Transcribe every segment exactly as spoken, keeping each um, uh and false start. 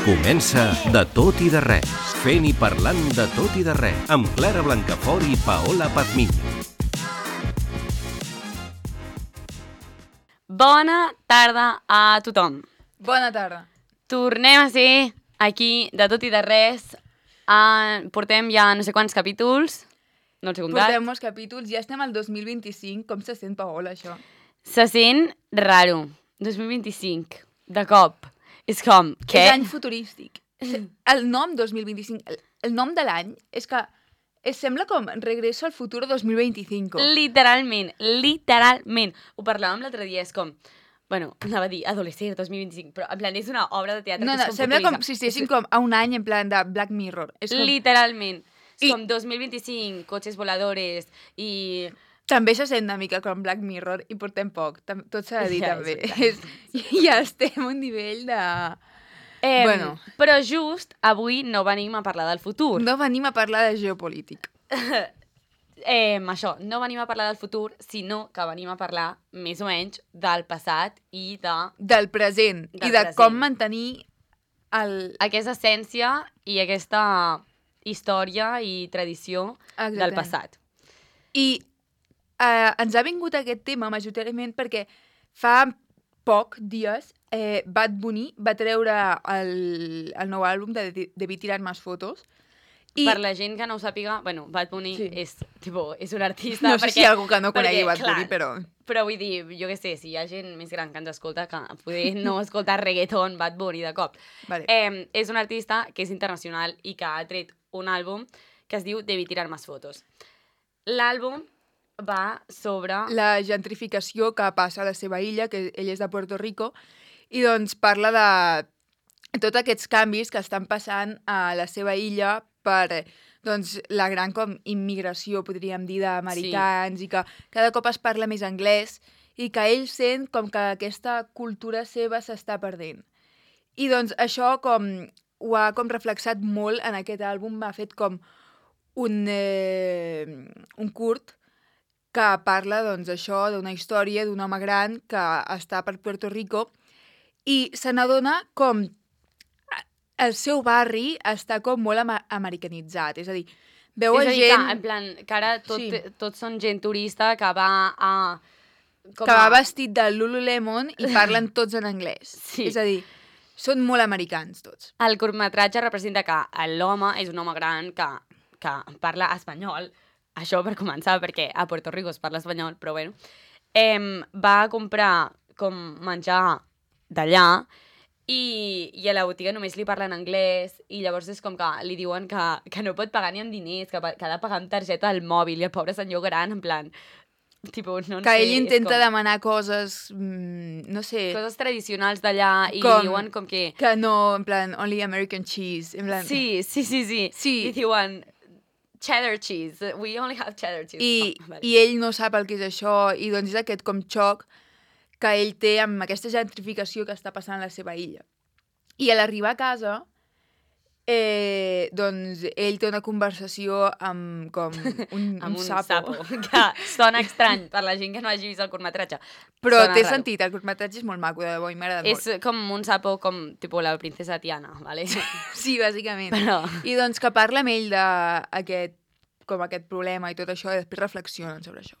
Comença De tot i de res, fent i parlant de tot i de res, amb Clara Blancafort i Paola Pazmiño. Bona tarda a tothom. Bona tarda. Tornem a ser aquí de tot i de res. Ah, portem ja no sé quants capítols, no els he comptat. Portem molts capítols, ja estem al dos mil vint-i-cinc. Com se sent, Paola, això? Se sent raro. dos mil vint-i-cinc, de cop. És com, què? És any futurístic. El nom dos mil vint-i-cinc, el, el nom de l'any és que es sembla com Regreso al futuro dos mil veinticinco. Literalment, literalment. Ho parlàvem l'altre dia, és com... Bueno, anava a dir Adolescent dos mil vint-i-cinc, però en plan és una obra de teatre No, que no, és com sembla com futurista. si estiguessin com a un any en plan de Black Mirror. És com... Literalment. És I- com dos mil vint-i-cinc, cotxes voladores i... També se sent una mica com Black Mirror i portem poc. Tam- Tot s'ha de dir, Ja, també. és És, ja estem a un nivell de... Eh, Bueno. Però just avui no venim a parlar del futur. No venim a parlar de geopolític. Eh, això, no venim a parlar del futur, sinó que venim a parlar més o menys del passat i de Del present. Del I de present. com mantenir el... aquesta essència i aquesta història i tradició del Exactament. passat. I eh, ens ha vingut aquest tema majoritàriament perquè fa poc dies eh, Bad Bunny va treure el, el nou àlbum de Debí tirar más fotos. I... I Per la gent que no ho sàpiga, bueno, Bad Bunny Sí. és, tipo, és un artista... no sé perquè, si hi ha algú que no conegui perquè, Bad Bunny, clar, però... Però vull dir, jo què sé, si hi ha gent més gran que ens escolta, que poder no escoltar reggaeton, Bad Bunny de cop. Vale. Eh, és un artista que és internacional i que ha tret un àlbum que es diu Debí tirar más fotos. L'àlbum va sobre... La gentrificació que passa a la seva illa, que ell és de Puerto Rico, i doncs parla de tots aquests canvis que estan passant a la seva illa per doncs, la gran com immigració, podríem dir, d'americans, sí. I que cada cop es parla més anglès i que ell sent com que aquesta cultura seva s'està perdent. I doncs això com ho ha com reflexat molt en aquest àlbum, m'ha fet com un, eh, un curt que parla, doncs, això d'una història d'un home gran que està per Puerto Rico i se n'adona com el seu barri està com molt ama americanitzat. És a dir, veu és a a dir, gent que, en plan, que ara tot, Sí. tots són gent turista que va a... Com que va a... vestit de Lululemon i parlen tots en anglès. Sí. És a dir, són molt americans tots. El curtmetratge representa que l'home és un home gran que, que parla espanyol, això per començar, perquè a Puerto Rico es parla espanyol, però bueno. Eh, va comprar com menjar d'allà i, i a la botiga només li parlen anglès i llavors és com que li diuen que, que no pot pagar ni amb diners, que, pa- que ha de pagar amb targeta del mòbil i el pobre senyor gran, en plan... Tipo, no en Que sé, ell és intenta com demanar coses, mm, no sé, coses tradicionals d'allà i Com- diuen com que... que no, en plan, only American cheese. En plan, Sí, sí, sí, sí. Sí. I diuen cheddar cheese. We only have cheddar cheese. I, Oh, vale. i ell no sap el que és això, i doncs és aquest com xoc que ell té amb aquesta gentrificació que està passant a la seva illa. I a l'arribar a casa, eh, doncs ell té una conversació amb com un, amb un sapo. sapo. Que sona estrany per la gent que no hagi vist el curtmetratge. Però Sona té raro. sentit, el curtmetratge és molt maco, de debò, i m'ha agradat És com un sapo com, tipo, la princesa Tiana, vale? molt. Sí, bàsicament. Però... I doncs que parla amb ell d'aquest com aquest problema i tot això, i després reflexionen sobre això.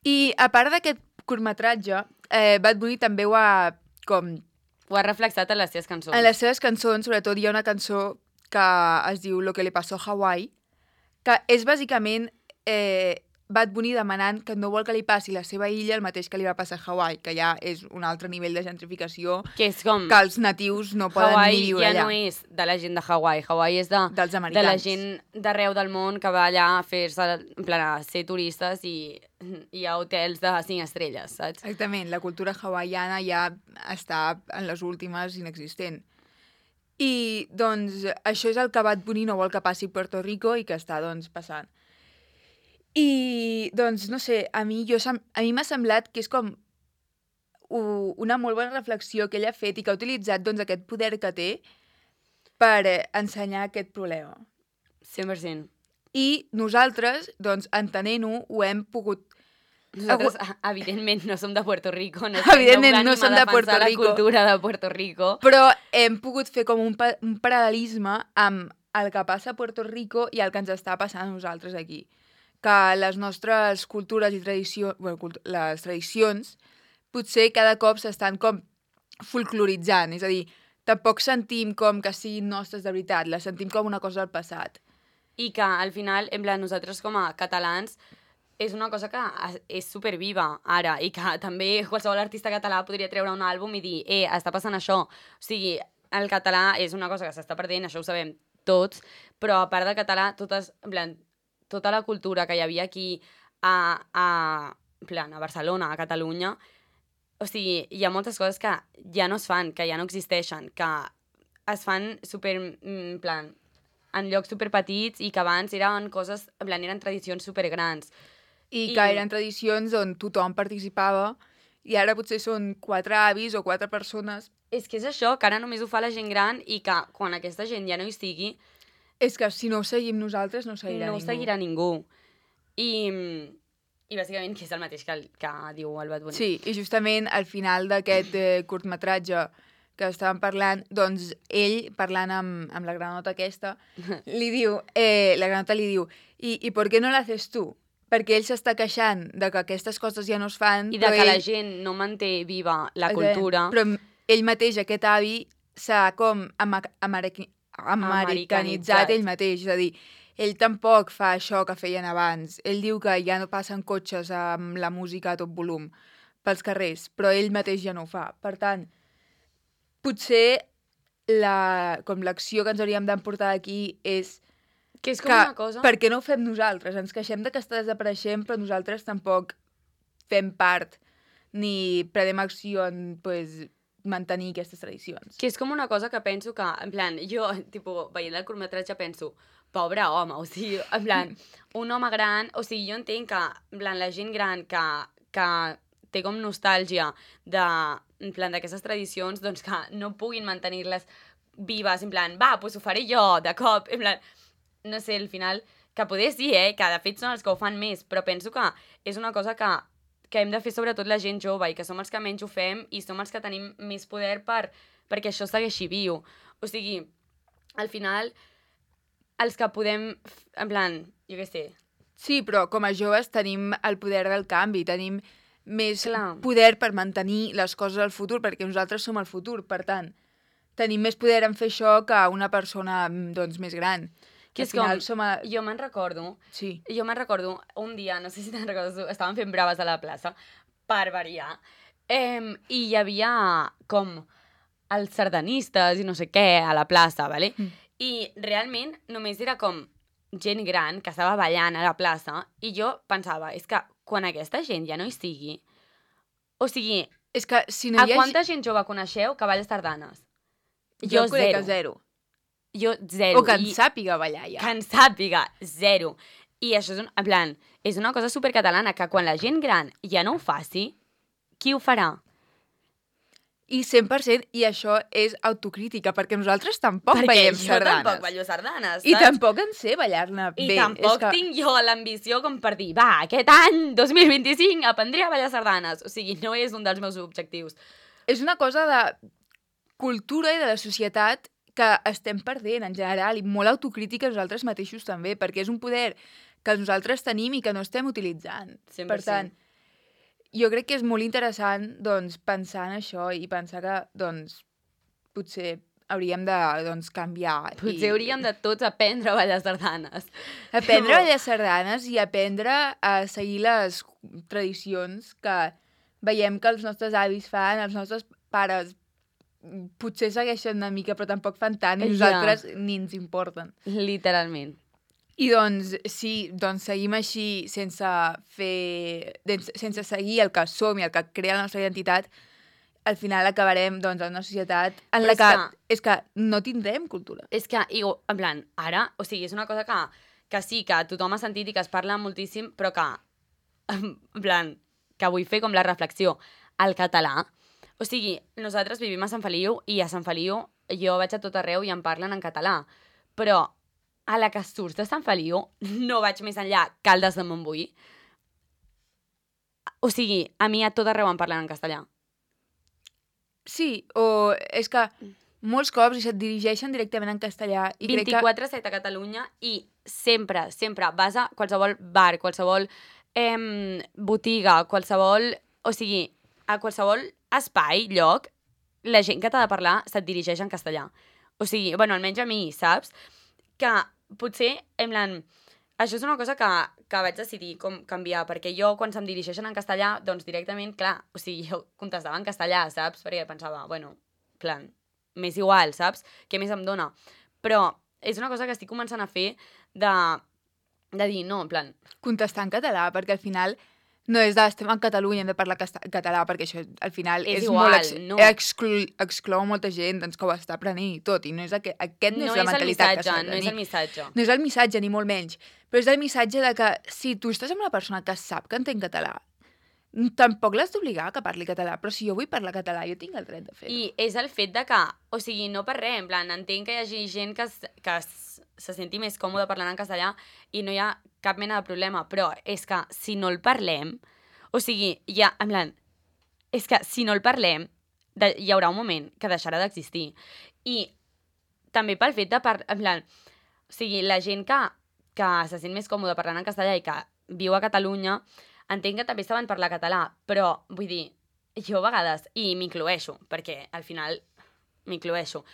I a part d'aquest curtmetratge, eh, Bad Bunny també ho ha com... Ho ha reflexat en les seves cançons. En les seves cançons, sobretot, hi ha una cançó que es diu Lo que le pasó a Hawaii, que és bàsicament eh, Bad Bunny demanant que no vol que li passi a la seva illa el mateix que li va passar a Hawaii, que ja és un altre nivell de gentrificació Que és com... que els natius no poden Hawaii ni viure ja allà. no és de la gent de Hawaii. Hawaii és de, Dels de americans. la gent d'arreu del món que va allà a fer-se, en plan, a ser turistes i hi ha hotels de cinc estrelles, saps? Exactament, la cultura hawaiana ja està en les últimes inexistent. I, doncs, això és el que Bad Bunny no vol que passi a Puerto Rico i que està, doncs, passant. I, doncs, no sé, a mi, jo, sem- a mi m'ha semblat que és com u- una molt bona reflexió que ell ha fet i que ha utilitzat, doncs, aquest poder que té per eh, ensenyar aquest problema. cent per cent. I nosaltres, doncs, entenent-ho, ho hem pogut Nosaltres, evidentment, no som de Puerto Rico, no, evidentment no, no som de Puerto Rico, la cultura de Puerto Rico. Però hem pogut fer com un, pa un paral·lelisme amb el que passa a Puerto Rico i el que ens està passant a nosaltres aquí. Que les nostres cultures i tradicions, bueno, cult les tradicions, potser cada cop s'estan com folcloritzant, és a dir, tampoc sentim com que siguin nostres de veritat, les sentim com una cosa del passat. I que al final, en plan, nosaltres com a catalans, és una cosa que és superviva ara i que també qualsevol artista català podria treure un àlbum i dir, eh, està passant això. O sigui, el català és una cosa que s'està perdent, això ho sabem tots, però a part del català, totes, en plan, tota la cultura que hi havia aquí a, a, en plan, a Barcelona, a Catalunya, o sigui, hi ha moltes coses que ja no es fan, que ja no existeixen, que es fan super, en plan, en llocs superpetits i que abans eren coses, en plan, eren tradicions supergrans. I, I que eren tradicions on tothom participava i ara potser són quatre avis o quatre persones. És que és això, que ara només ho fa la gent gran i que quan aquesta gent ja no hi estigui... És que si no ho seguim nosaltres no ho seguirà no ningú. No ho seguirà ningú. I, i bàsicament que és el mateix que, el, que diu el Bad Bunny. Sí, i justament al final d'aquest eh, curtmetratge que estàvem parlant, doncs ell, parlant amb, amb la granota aquesta, li diu, eh, la granota li diu, i, i per què no l'haces tu? Perquè ell s'està queixant de que aquestes coses ja no es fan. I de que ell... la gent no manté viva la cultura. Però ell mateix, aquest avi, s'ha com ama americanitzat, americanitzat ell mateix. És a dir, ell tampoc fa això que feien abans. Ell diu que ja no passen cotxes amb la música a tot volum pels carrers, però ell mateix ja no ho fa. Per tant, potser la, com l'acció que ens hauríem d'emportar d'aquí és que és com que, una cosa... per què no ho fem nosaltres? Ens queixem de que està desapareixent, però nosaltres tampoc fem part ni prenem acció en pues, mantenir aquestes tradicions. Que és com una cosa que penso que, en plan, jo, tipo, veient el curtmetratge penso, pobre home, o sigui, en plan, un home gran, o sigui, jo entenc que, en plan, la gent gran que, que té com nostàlgia de, en plan, d'aquestes tradicions, doncs que no puguin mantenir-les vives, en plan, va, doncs ho faré jo, de cop, en plan... no sé, al final, que poder sí, eh, que de fet són els que ho fan més, però penso que és una cosa que, que hem de fer sobretot la gent jove i que som els que menys ho fem i som els que tenim més poder per, perquè això segueixi viu. O sigui, al final, els que podem, en plan, jo què sé... Sí, però com a joves tenim el poder del canvi, tenim més Clar. poder per mantenir les coses al futur, perquè nosaltres som el futur, per tant, tenim més poder en fer això que una persona, doncs, més gran. Que és com, som a... jo me'n recordo, sí. jo me'n recordo un dia, no sé si te'n recordes, estàvem fent braves a la plaça, per variar, eh, i hi havia com els sardanistes i no sé què a la plaça, ¿vale? Mm. I realment només era com gent gran que estava ballant a la plaça i jo pensava, és que quan aquesta gent ja no hi sigui, o sigui, és que si no a hi ha... quanta gent jove coneixeu que balla sardanes? Jo, jo crec que zero. Jo, zero. O que en I sàpiga ballar, ja. Que en sàpiga, zero. I això és, un, en plan, és una cosa supercatalana, que quan la gent gran ja no ho faci, qui ho farà? I cent per cent, i això és autocrítica, perquè nosaltres tampoc perquè ballem sardanes. sardanes. Perquè jo tampoc ballo sardanes, saps? I tampoc en sé ballar-ne bé. I tampoc que... tinc jo l'ambició com per dir, va, aquest any, dos mil vint-i-cinc, aprendré a ballar sardanes. O sigui, no és un dels meus objectius. És una cosa de cultura i de la societat que estem perdent en general, i molt autocrítica nosaltres mateixos també, perquè és un poder que nosaltres tenim i que no estem utilitzant. cent Per per cent. tant, jo crec que és molt interessant doncs, pensar en això i pensar que doncs, potser hauríem de doncs, canviar. Potser i... hauríem de tots aprendre a ballar sardanes. Aprendre a ballar sardanes i aprendre a seguir les tradicions que veiem que els nostres avis fan, els nostres pares potser segueixen una mica, però tampoc fan tant, i nosaltres ja. Ni ens importen. Literalment. I doncs, sí, doncs seguim així sense fer... sense seguir el que som i el que crea la nostra identitat, al final acabarem doncs, en una societat en la que, que... És que no tindrem cultura. És que, en plan, ara, o sigui, és una cosa que, que sí, que tothom ha sentit i que es parla moltíssim, però que, en plan, que vull fer com la reflexió. El català, o sigui, nosaltres vivim a Sant Feliu i a Sant Feliu jo vaig a tot arreu i em parlen en català, però a la que surts de Sant Feliu no vaig més enllà Caldes de Montbui. O sigui, a mi a tot arreu em parlen en castellà. Sí, o és que molts cops se't dirigeixen directament en castellà. I vint-i-quatre set a Catalunya i sempre, sempre vas a qualsevol bar, qualsevol eh, botiga, qualsevol... O sigui, a qualsevol espai, lloc, la gent que t'ha de parlar se't dirigeix en castellà. O sigui, bueno, almenys a mi, saps? Que potser, en plan... Això és una cosa que, que vaig decidir com canviar, perquè jo, quan se'm dirigeixen en castellà, doncs directament, clar, o sigui, jo contestava en castellà, saps? Perquè pensava, bueno, plan, m'és igual, saps? Què més em dona? Però és una cosa que estic començant a fer de, de dir, no, en plan... Contestar en català, perquè al final no és de estem en Catalunya, hem de parlar català, perquè això al final és, és igual, molt... Ex no. exclu exclou molta gent doncs, que ho està aprenent i tot, i no és aquest, aquest no, no és la és mentalitat missatge, que s'ha de no és tenir. el missatge. No és el missatge, ni molt menys, però és el missatge de que si tu estàs amb una persona que sap que entén català, tampoc l'has d'obligar que parli català, però si jo vull parlar català, jo tinc el dret de fer-ho. I és el fet de que, o sigui, no per res, en plan, entenc que hi hagi gent que, que se senti més còmode parlant en castellà i no hi ha cap mena de problema, però és que si no el parlem, o sigui, ja, en plan, és que si no el parlem, de, hi haurà un moment que deixarà d'existir. I també pel fet de, par en plan, o sigui, la gent que, que se sent més còmode parlant en castellà i que viu a Catalunya, entenc que també saben parlar català, però, vull dir, jo a vegades, i m'incloeixo, perquè al final m'incloeixo,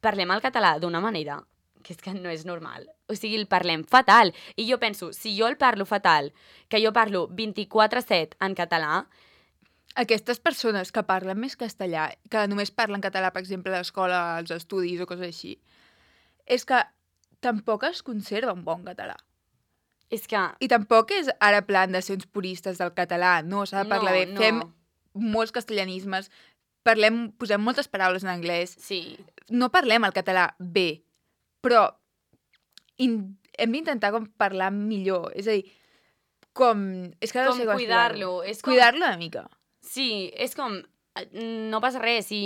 parlem el català d'una manera que és que no és normal. O sigui, el parlem fatal. I jo penso, si jo el parlo fatal, que jo parlo vint-i-quatre set en català... Aquestes persones que parlen més castellà, que només parlen català, per exemple, a l'escola, als estudis o coses així, és que tampoc es conserva un bon català. És que... I tampoc és ara plan de ser uns puristes del català, no, s'ha de parlar no, bé. No. Fem molts castellanismes, parlem, posem moltes paraules en anglès. Sí. No parlem el català bé, però in, hem d'intentar com parlar millor. És a dir, com... És que com no sé cuidar-lo. Com... Cuidar-lo una mica. Sí, és com... No passa res si,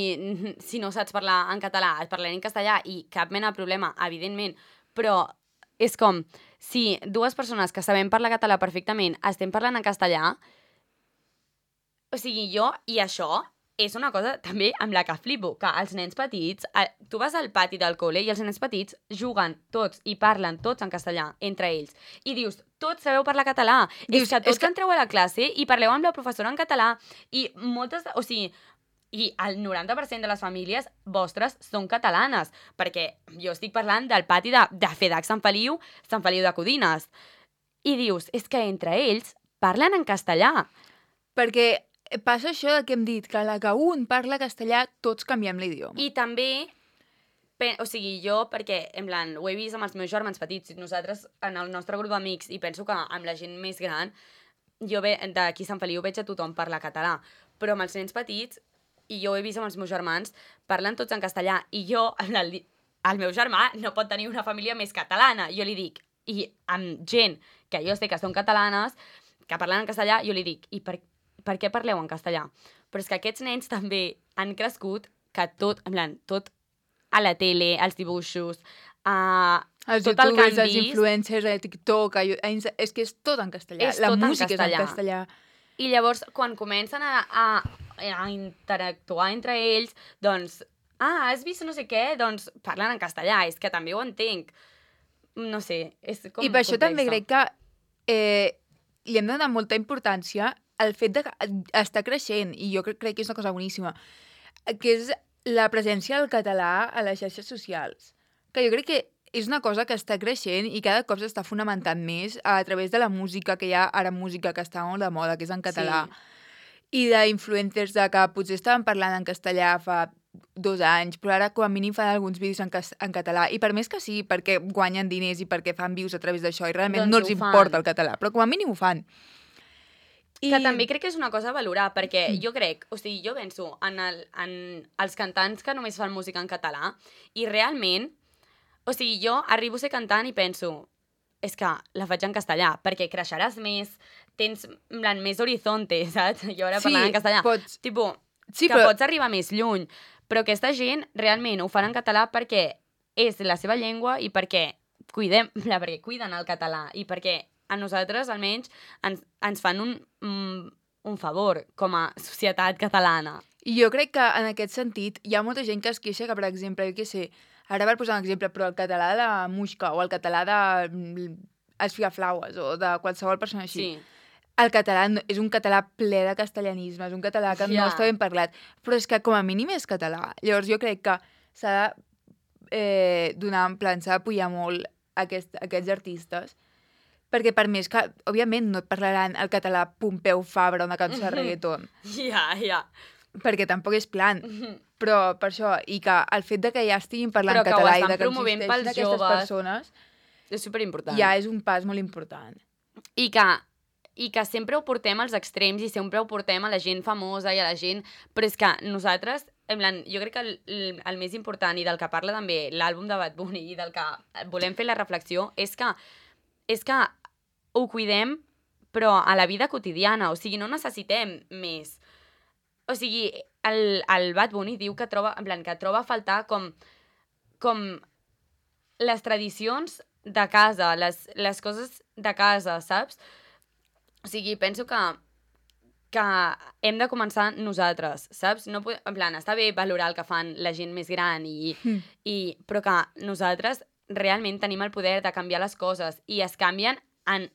si no saps parlar en català, parlarem en castellà i cap mena de problema, evidentment, però és com si dues persones que sabem parlar català perfectament estem parlant en castellà, o sigui, jo, i això és una cosa també amb la que flipo, que els nens petits, tu vas al pati del col·le i els nens petits juguen tots i parlen tots en castellà entre ells. I dius, tots sabeu parlar català. Dius, és que tots és que... entreu a la classe i parleu amb la professora en català i moltes, o sigui, i el noranta per cent de les famílies vostres són catalanes, perquè jo estic parlant del pati de, de FEDAC Sant Feliu, Sant Feliu de Codines. I dius, és que entre ells parlen en castellà. Perquè passa això que hem dit, que a la que un parla castellà, tots canviem l'idioma. I també, o sigui, jo, perquè, en plan, ho he vist amb els meus germans petits, nosaltres, en el nostre grup d'amics, i penso que amb la gent més gran, jo d'aquí a Sant Feliu veig a tothom parlar català, però amb els nens petits, i jo ho he vist amb els meus germans, parlen tots en castellà, i jo, el, el meu germà no pot tenir una família més catalana, jo li dic, i amb gent que jo sé que són catalanes, que parlen en castellà, jo li dic, i per per què parleu en castellà? Però és que aquests nens també han crescut que tot, en plan, tot a la tele, als dibuixos, a els tot el que han els vist... influencers, a TikTok, a... és que és tot en castellà. És la tot música en castellà. és en castellà. I llavors, quan comencen a, a, a interactuar entre ells, doncs, ah, has vist no sé què? Doncs parlen en castellà, és que també ho entenc. No sé, és com I per això complexa. també crec que eh, li hem de donar molta importància el fet d'estar creixent, i jo crec, crec que és una cosa boníssima, que és la presència del català a les xarxes socials. Que jo crec que és una cosa que està creixent i cada cop s'està fonamentant més a través de la música, que hi ha ara música que està molt de moda, que és en català, sí. I d'influencers de que potser estaven parlant en castellà fa dos anys, però ara com a mínim fan alguns vídeos en, en català, i per més que sí, perquè guanyen diners i perquè fan views a través d'això, i realment doncs no els importa el català, però com a mínim ho fan. I... Que també crec que és una cosa a valorar, perquè jo crec, o sigui, jo penso en, el, en els cantants que només fan música en català, i realment, o sigui, jo arribo a ser cantant i penso, és que la faig en castellà, perquè creixeràs més, tens en plan, més horizonte, saps? Jo ara sí, parlant en castellà. Pots... Tipo, sí, que però... pots arribar més lluny, però aquesta gent realment ho fan en català perquè és la seva llengua i perquè cuidem, perquè cuiden el català i perquè a nosaltres, almenys, ens, ens fan un, mm, un favor com a societat catalana. I jo crec que en aquest sentit hi ha molta gent que es queixa que, per exemple, jo què sé, ara per posar un exemple, però el català de Muixca o el català de mm, Els Figaflaues o de qualsevol persona així, Sí. el català no- és un català ple de castellanisme, és un català que Ja. no està ben parlat, però és que com a mínim és català. Llavors jo crec que s'ha de eh, donar, en plan, s'ha d'apoyar molt aquest, aquests artistes, perquè per més que, òbviament, no et parlaran el català Pompeu Fabra, una cançó de reggaeton, Ja, ja. perquè tampoc és plan. Però per això, i que el fet de que ja estiguin parlant Però que ho català i estan de que promovent existeixin pels aquestes joves. persones, És superimportant. ja és un pas molt important. I que, I que sempre ho portem als extrems i sempre ho portem a la gent famosa i a la gent... Però és que nosaltres, en plan, jo crec que el, el, el més important i del que parla també l'àlbum de Bad Bunny i del que volem fer la reflexió és que, és que ho cuidem però a la vida quotidiana, o sigui, no necessitem més. O sigui, el, el Bad Bunny diu que troba, en plan, que troba a faltar com, com les tradicions de casa, les, les coses de casa, saps? O sigui, penso que, que hem de començar nosaltres, saps? No, pod- en plan, està bé valorar el que fan la gent més gran, i, Mm. i, però que nosaltres realment tenim el poder de canviar les coses i es canvien en...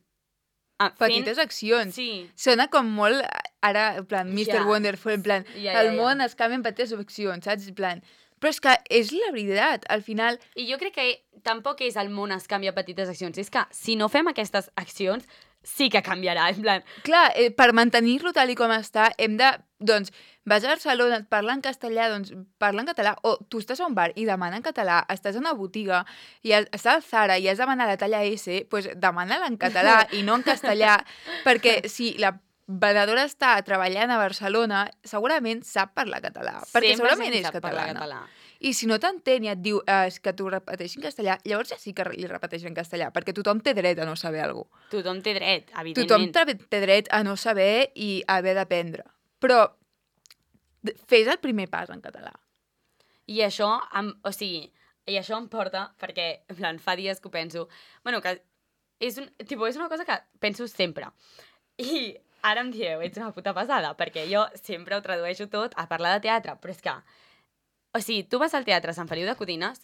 en fent- Petites accions. Sí, Sona com molt, ara, en plan, mister Ja. Wonderful, en plan, Ja, ja, el ja. món es canvia en petites accions, saps? En plan, però és que és la veritat, al final, i jo crec que tampoc és el món es canvia a petites accions, és que si no fem aquestes accions sí que canviarà, en plan... clar, eh, per mantenir-lo tal i com està, hem de, doncs, vas a Barcelona, et parla en castellà, doncs parla en català, o tu estàs a un bar i demana en català, estàs a una botiga i has, estàs al Zara i has demanat la talla S, doncs demana-la en català i no en castellà, perquè si la venedora està treballant a Barcelona, segurament sap parlar català, perquè sempre segurament se'n és sap parlar catalana. català. I si no t'entén i et diu eh, és que t'ho repeteixi en castellà, llavors ja sí que li repeteix en castellà, perquè tothom té dret a no saber alguna cosa. Tothom té dret, Tothom evidentment. té té dret a no saber i a haver d'aprendre. Però d- fes el primer pas en català. I això, em, o sigui, i això em porta, perquè, en plan, fa dies que ho penso, bueno, que és, un, tipo, és una cosa que penso sempre. I ara em dieu, ets una puta pesada, perquè jo sempre ho tradueixo tot a parlar de teatre, però és que, o sigui, tu vas al teatre Sant Feliu de Codines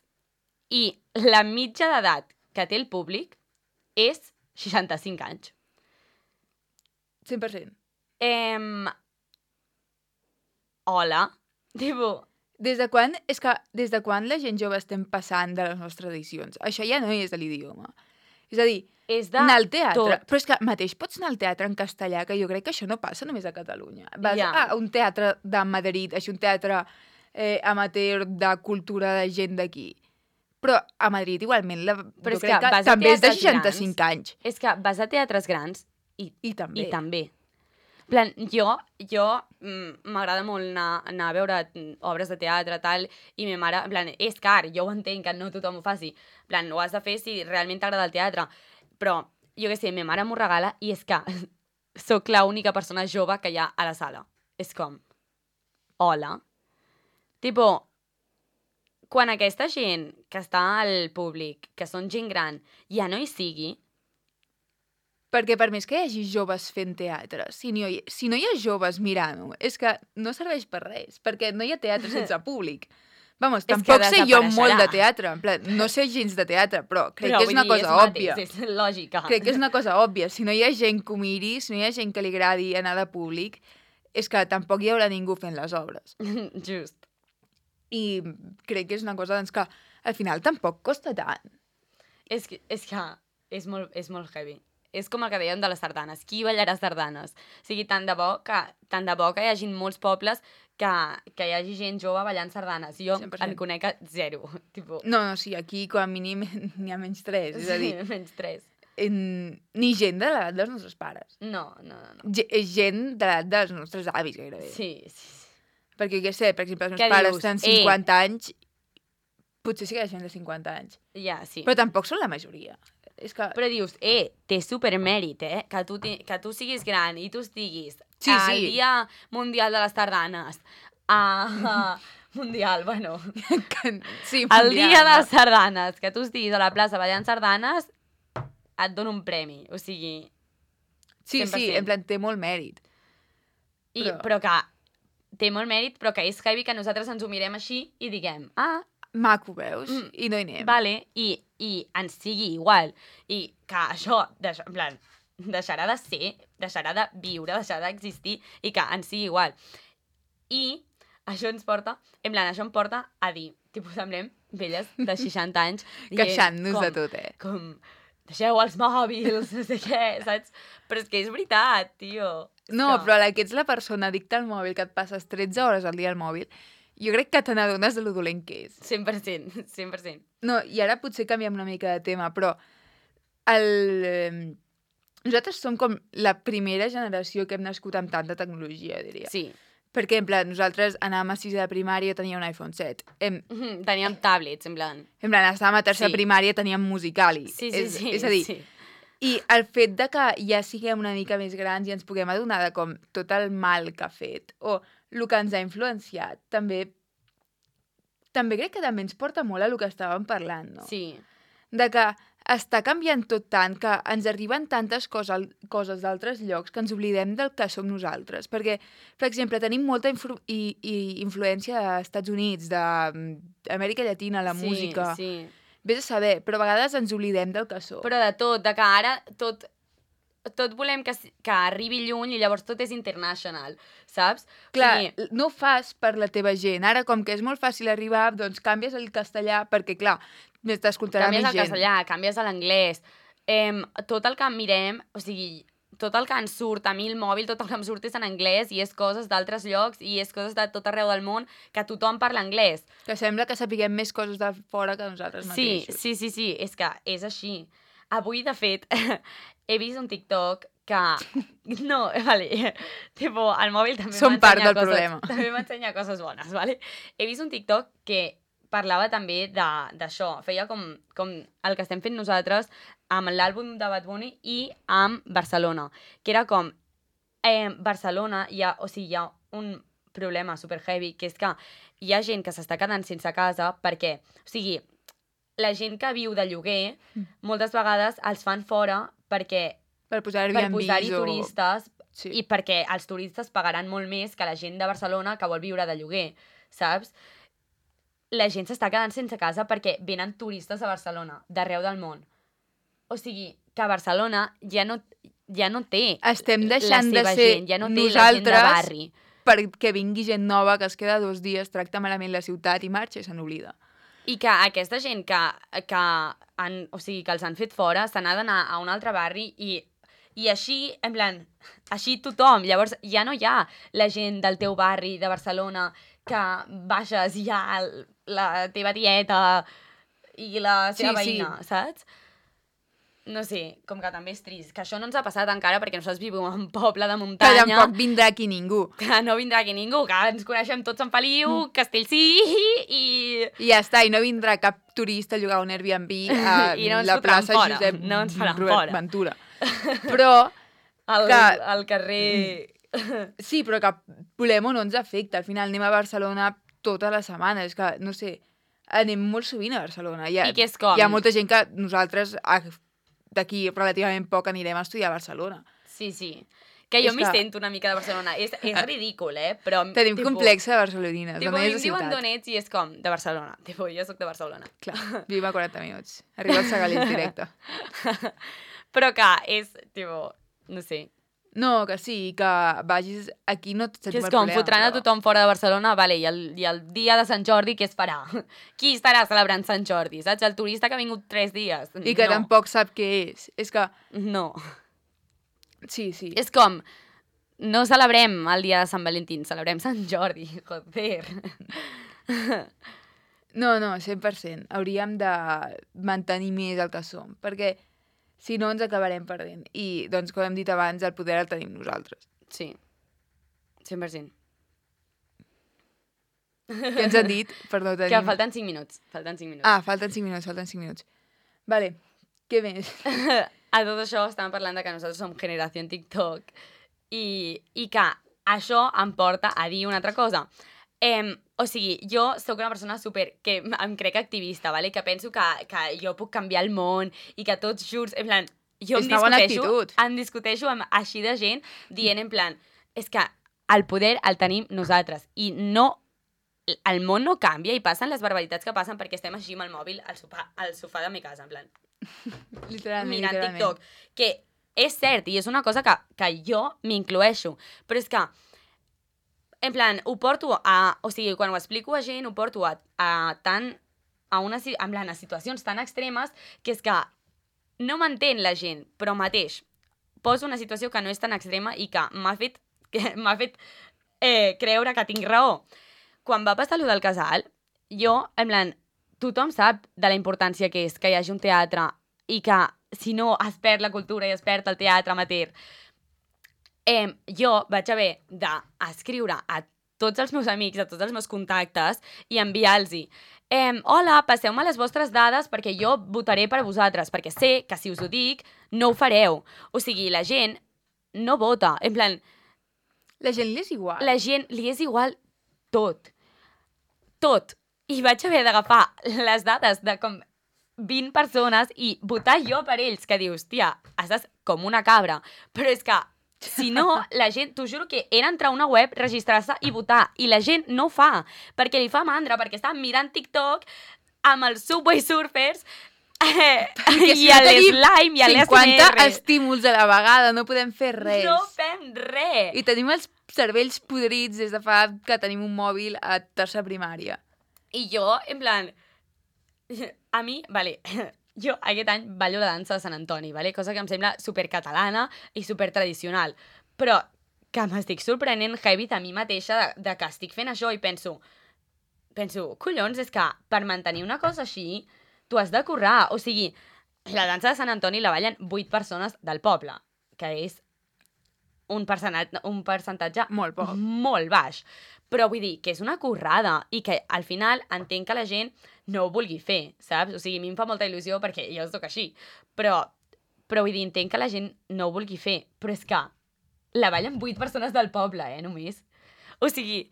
i la mitja d'edat que té el públic és seixanta-cinc anys. cent per cent. Em... Hola? Tipo, Des de quan, és que des de quan la gent jove estem passant de les nostres tradicions? Això ja no és de l'idioma. És a dir, és de anar al teatre, tot. però és que mateix pots anar al teatre en castellà, que jo crec que això no passa només a Catalunya. Vas Ja. a un teatre de Madrid, així un teatre eh, amateur de cultura de gent d'aquí. Però a Madrid igualment la, Però jo és que crec que, vas a també és de teatres seixanta-cinc anys. És que vas a teatres grans i, I també. i també. En plan, jo, jo mm, m'agrada molt anar, anar a veure mm, obres de teatre, tal, i ma mare, en plan, és car, jo ho entenc que no tothom ho faci. En plan, ho has de fer si realment t'agrada el teatre. Però, jo què sé, ma mare m'ho regala i és que sóc l'única persona jove que hi ha a la sala. És com, hola? Tipo, quan aquesta gent que està al públic, que són gent gran, ja no hi sigui, Perquè per més que hi hagi joves fent teatre, si no hi, si no hi ha joves mirant-ho, és que no serveix per res, perquè no hi ha teatre sense públic. Vamos, És que tampoc sé jo desapareixerà. molt de teatre, en plan, no sé gens de teatre, però crec però que és vull una dir, cosa és òbvia. Mateix, és lògica. Crec que és una cosa òbvia. Si no hi ha gent que ho miri, si no hi ha gent que li agradi anar de públic, és que tampoc hi haurà ningú fent les obres. Just. I crec que és una cosa doncs, que al final tampoc costa tant. És que, és que és molt, és molt heavy. És com el que dèiem de les sardanes. Qui ballarà sardanes? O sigui, tant de bo que, tant de bo que hi hagi molts pobles que, que hi hagi gent jove ballant sardanes. Jo cent per cent. en conec a zero. Tipo, No, no, sí, aquí com a mínim n'hi ha menys tres. És a dir, sí, menys tres. en... ni gent de l'edat dels nostres pares. No, no, no. no. Ge- és gent de l'edat dels nostres avis, gairebé. Sí, sí, sí. Perquè, què sé, per exemple, els Què meus pares dius? tenen Eh. cinquanta anys, potser sí que hi ha gent de cinquanta anys. Ja, sí. Però tampoc són la majoria. És que... Però dius, eh, té supermèrit, eh? Que tu, ti- que tu siguis gran i tu estiguis Sí, al sí. Dia Mundial de les Sardanes. A... Mundial, bueno. que- sí, El mundial, dia de no? les sardanes, que tu estiguis a la plaça ballant sardanes, et dono un premi. O sigui, Sí, cent per sí, cent. en plan, té molt mèrit. I, Però- però... però que té molt mèrit, però que és heavy que nosaltres ens ho mirem així i diguem, ah, Maco, veus? Mm. I no hi anem. vale, i, i ens sigui igual. I que això, deix, en plan, deixarà de ser, deixarà de viure, deixarà d'existir i que ens sigui igual. I això ens porta, en plan, això em porta a dir, tipus, semblem velles de seixanta anys dient Queixant-nos com- de tot, eh? Com, deixeu els mòbils, no sé què, saps? Però és que és veritat, tio. És No, que... però a la que ets la persona addicta al mòbil, que et passes tretze hores al dia al mòbil, jo crec que te n'adones de lo dolent que és. cent per cent, cent per cent. No, i ara potser canviem una mica de tema, però el... eh, nosaltres som com la primera generació que hem nascut amb tanta tecnologia, diria. Sí. Per exemple, nosaltres anàvem a sisè de primària, tenia un iPhone set. Em, Mhm, Teníem tablets, en plan... en plan, estàvem a tercera Sí. primària, teníem Musicali. Sí, sí, és, sí. És a dir, sí. i el fet de que ja siguem una mica més grans i ens puguem adonar de com tot el mal que ha fet o el que ens ha influenciat, també també crec que també ens porta molt a el que estàvem parlant, no? Sí. De que està canviant tot tant, que ens arriben tantes coses, coses d'altres llocs que ens oblidem del que som nosaltres. Perquè, per exemple, tenim molta influ i, i influència dels Estats Units, d'Amèrica Llatina, la sí, música... Sí. Vés a saber, però a vegades ens oblidem del que som. Però de tot, de que ara tot, tot volem que, s- que arribi lluny i llavors tot és international, saps? Clar, O sigui, no ho fas per la teva gent. Ara, com que és molt fàcil arribar, doncs canvies el castellà, perquè, clar, més t'escoltarà més canvies el gent. castellà, canvies a l'anglès, em, tot el que mirem, o sigui, tot el que ens surt a mi el mòbil, tot el que em surt és en anglès i és coses d'altres llocs i és coses de tot arreu del món que tothom parla anglès. Que sembla que sapiguem més coses de fora que nosaltres Sí, mateixos. sí, sí, sí, és que és així. Avui, de fet, he vist un TikTok que... No, vale, tipo, el mòbil també Som part m'ensenya del coses, problema. també m'ensenya coses bones, vale? He vist un TikTok que parlava també de- d'això, feia com, com el que estem fent nosaltres amb l'àlbum de Bad Bunny i amb Barcelona, que era com, eh, Barcelona, hi ha, o sigui, hi ha un problema super heavy, que és que hi ha gent que s'està quedant sense casa perquè, o sigui, la gent que viu de lloguer, moltes vegades els fan fora perquè Per posar per Airbnbs posar-hi o... turistes Sí. i perquè els turistes pagaran molt més que la gent de Barcelona que vol viure de lloguer, saps? La gent s'està quedant sense casa perquè venen turistes a Barcelona, d'arreu del món. O sigui, que Barcelona ja no, ja no té Estem la deixant de seva ser gent, ja no té la gent de nosaltres barri. perquè vingui gent nova que es queda dos dies, tracta malament la ciutat i marxa i se n'oblida. I que aquesta gent que, que, han, o sigui, que els han fet fora se n'ha d'anar a un altre barri i, i així, en plan, així tothom. Llavors ja no hi ha la gent del teu barri de Barcelona que baixes i hi ha el- la teva tieta i la seva Sí, sí. veïna, saps? No sé, com que també és trist. Que això no ens ha passat encara perquè nosaltres vivim en un poble de Que muntanya. tampoc vindrà aquí ningú. Que no vindrà aquí ningú, que ens coneixem tots en Feliu, Mm. Castellcí i... I ja està, i no vindrà cap turista a llogar un Airbnb a I no ens la fotran plaça fora, Josep no ens faran Robert fora. Ventura. Però, Al, que- al carrer... sí, però que volem o no ens afecta. Al final anem a Barcelona tota la setmana. És que, no sé, anem molt sovint a Barcelona. Hi ha, I que és com? Hi ha molta gent que nosaltres ah, d'aquí relativament poc anirem a estudiar a Barcelona. Sí, sí. Que jo És m'hi que- sento una mica de Barcelona. És, és ridícul, eh? Però, Tenim tipo, complex de barcelonines. Tipo, Tipo, a mi és em de diuen ciutat. d'on ets i és com, de Barcelona. Tipo, jo sóc de Barcelona. Clar, vivim a quaranta minuts. Arriba al Segalés directe. Però que és, tipo, no sé. No, que sí, que vagis aquí no et Que sentim és el com, problema. fotran a però- tothom fora de Barcelona, vale, i el, i el dia de Sant Jordi què es farà? Qui estarà celebrant Sant Jordi, saps? El turista que ha vingut tres dies. I que no. tampoc sap què és. És que, No. sí, sí. És com, no celebrem el dia de Sant Valentín, celebrem Sant Jordi, joder. No, no, cent per cent. Hauríem de mantenir més el que som, perquè si no ens acabarem perdent. I, doncs, com hem dit abans, el poder el tenim nosaltres. Sí, cent per cent. Què ens han dit? Perdó, tenim... Que falten cinc minuts, falten cinc minuts. Ah, falten cinc minuts, falten cinc minuts. Vale, què més? A tot això estàvem parlant de que nosaltres som generació TikTok i, i que això em porta a dir una altra cosa. Em, o sigui, jo sóc una persona super, que em crec activista, vale? Que penso que, que jo puc canviar el món i que tots junts, en plan, jo És em una bona discuteixo, actitud. em discuteixo amb així de gent dient en plan, és que el poder el tenim nosaltres. I no... El món no canvia i passen les barbaritats que passen perquè estem així amb el mòbil al sofà, al sofà de mi casa, en plan... Literalment, mirant literalment. TikTok. Que és cert, i és una cosa que, que jo m'incloeixo, però és que, en plan, ho porto a... O sigui, quan ho explico a gent, ho porto a, a tant... A, una, en plan, a situacions tan extremes que és que no m'entén la gent, però mateix poso una situació que no és tan extrema i que m'ha fet, que m'ha fet eh, creure que tinc raó. Quan va passar allò del casal, jo, en plan, tothom sap de la importància que és que hi hagi un teatre i que si no es perd la cultura i es perd el teatre amateur. Eh, jo vaig haver d'escriure a tots els meus amics, a tots els meus contactes i enviar-los eh, hola, passeu-me les vostres dades perquè jo votaré per vosaltres, perquè sé que si us ho dic no ho fareu. O sigui, la gent no vota. En plan... La gent li és igual. La gent li és igual tot. Tot. I vaig haver d'agafar les dades de com vint persones i votar jo per ells, que dius, tia, estàs com una cabra. Però és que, si no, la gent, t'ho juro que era entrar a una web, registrar-se i votar. I la gent no ho fa, perquè li fa mandra, perquè està mirant TikTok amb els Subway Surfers eh, i a l'slime i a l'A S M R. cinquanta estímuls a la vegada, no podem fer res. No fem res. I tenim els cervells podrits des de fa que tenim un mòbil a tercera primària. I jo, en plan... A mi, vale, jo aquest any ballo la dansa de Sant Antoni, vale? Cosa que em sembla supercatalana i supertradicional, però que m'estic sorprenent heavy a mi mateixa de, de que estic fent això i penso, penso, collons, és que per mantenir una cosa així tu has de currar. O sigui, la dansa de Sant Antoni la ballen vuit persones del poble, que és un percentatge, un percentatge Molt poc. molt baix. Però vull dir que és una currada i que al final entenc que la gent no ho vulgui fer, saps? O sigui, a mi em fa molta il·lusió perquè jo soc així. Però, però vull dir, entenc que la gent no ho vulgui fer. Però és que la ballen vuit persones del poble, eh, només. O sigui,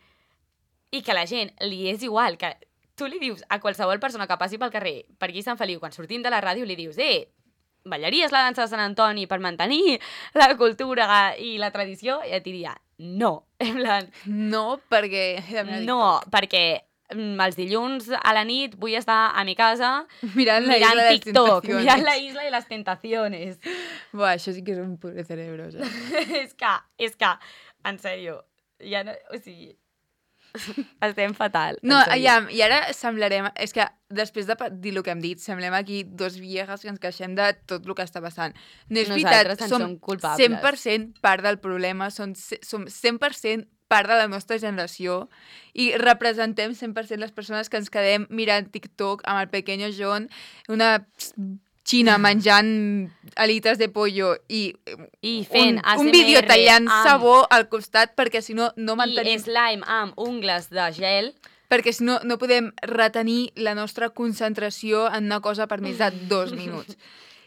i que la gent li és igual, que tu li dius a qualsevol persona que passi pel carrer, per aquí Sant Feliu, quan sortim de la ràdio, li dius, eh, ballaries la dansa de Sant Antoni per mantenir la cultura i la tradició? I et diria, no. En plan, No, perquè... no, perquè mm, els dilluns a la nit vull estar a mi casa Mirant la mirant isla de les TikTok, tentaciones. mirant la isla i les tentaciones. Buah, això sí que és un pure cerebro, saps? és que, és que, en sèrio, ja no, o sigui, estem fatal. en No, sèrio. aviam, i ara semblarem... És que després de pa- dir el que hem dit, semblem aquí dos viejas que ens queixem de tot el que està passant. No és Nosaltres veritat, en som som culpables. cent per cent part del problema, som, ce- som cent per cent part de la nostra generació i representem cent per cent les persones que ens quedem mirant TikTok amb el pequeño John, una xina menjant alites de pollo i, I fent un, un vídeo A S M R tallant amb- sabó al costat perquè si no no I mantenim... slime amb ungles de gel. Perquè si no, no podem retenir la nostra concentració en una cosa per més de dos minuts.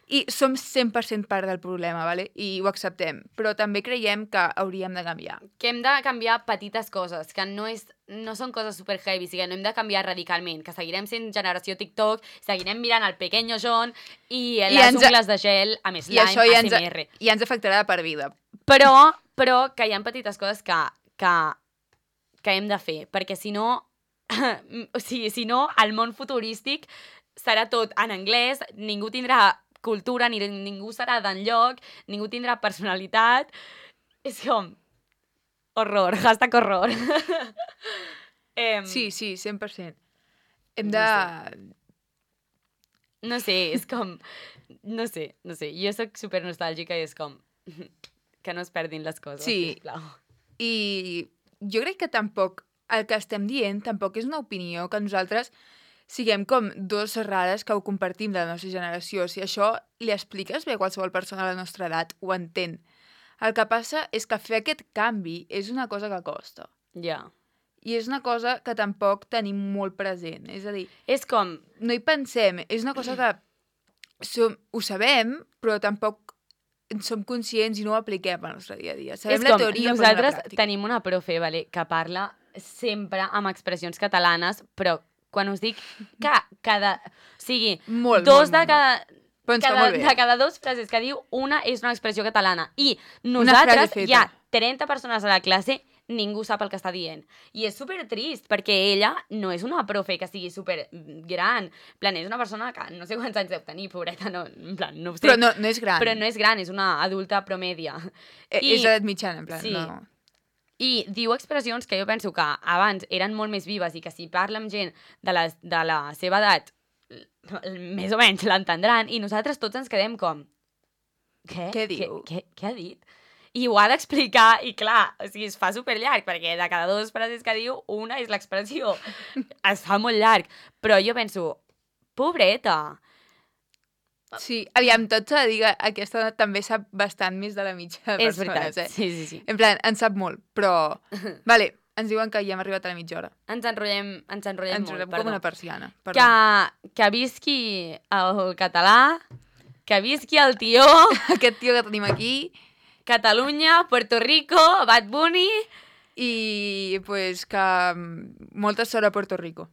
I som cent per cent part del problema, ¿vale? I ho acceptem. Però també creiem que hauríem de canviar. Que hem de canviar petites coses, que no, és, no són coses super heavy, o sigui, no hem de canviar radicalment, que seguirem sent generació TikTok, seguirem mirant el pequeño John i, I les ens- ungles de gel amb I slime, això ja ens, A S M R. ja ens afectarà de per vida. Però, però que hi ha petites coses que, que, que hem de fer, perquè si no, o sigui, si no, el món futurístic serà tot en anglès, ningú tindrà cultura, ni ningú serà d'enlloc, ningú tindrà personalitat. És com... Horror, hashtag horror. em, Sí, sí, cent per cent. Hem No de... No sé, és com... No sé, no sé. Jo sóc super nostàlgica i és com... Que no es perdin les coses, Sí. sisplau. I jo crec que tampoc el que estem dient tampoc és una opinió que nosaltres siguem com dos rares que ho compartim de la nostra generació. Si això li expliques bé a qualsevol persona de la nostra edat, ho entén. El que passa és que fer aquest canvi és una cosa que costa. Ja. I és una cosa que tampoc tenim molt present. És a dir, És com... no hi pensem. És una cosa que som, ho sabem, però tampoc en som conscients i no ho apliquem al nostre dia a dia. Sabem és la com, teoria, però no nosaltres la pràctica. tenim una profe, vale, que parla sempre amb expressions catalanes, però quan us dic que cada... O sigui, Molt, dos molt, de molt, cada... Però ens fa cada, molt bé. de cada dos frases que diu, una és una expressió catalana. I frase nosaltres, feta. hi ha trenta persones a la classe, ningú sap el que està dient. I és super trist, perquè ella no és una profe que sigui super gran. En plan, és una persona que no sé quants anys deu tenir, pobreta, no, en plan, no ho sé. Però no, no és gran. Però no és gran, és una adulta promèdia. Eh, I, és edat mitjana, en plan, sí. no... I diu expressions que jo penso que abans eren molt més vives i que si parla amb gent de la, de la seva edat, més o menys l'entendran, i nosaltres tots ens quedem com... Què? Què diu? Què, què, què ha dit? I ho ha d'explicar, i clar, o sigui, es fa superllarg, perquè de cada dues frases que diu, una és l'expressió. Es fa molt llarg. Però jo penso, pobreta. Sí, aviam, tot s'ha de dir que aquesta dona també sap bastant més de la mitja de És persones, veritat, eh? sí, sí, sí. En plan, en sap molt, però... Vale, ens diuen que ja hem arribat a la mitja hora. Ens enrotllem, ens enrotllem Ens molt, enrotllem perdó. com una persiana. Perdó. Que, que visqui el català, que visqui el tió, Aquest tio que tenim aquí... Catalunya, Puerto Rico, Bad Bunny... I, pues, que mm, molta sort a Puerto Rico.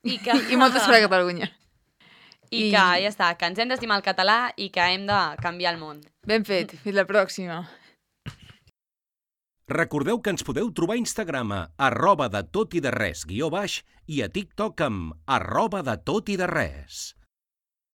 I, que... I molta sort a Catalunya. I, I- que ja està, que ens hem d'estimar el català i que hem de canviar el món. Ben fet, fins la pròxima. Recordeu que ens podeu trobar a Instagram a arroba de tot i de res guió baix i a TikTok amb arroba de tot i de res.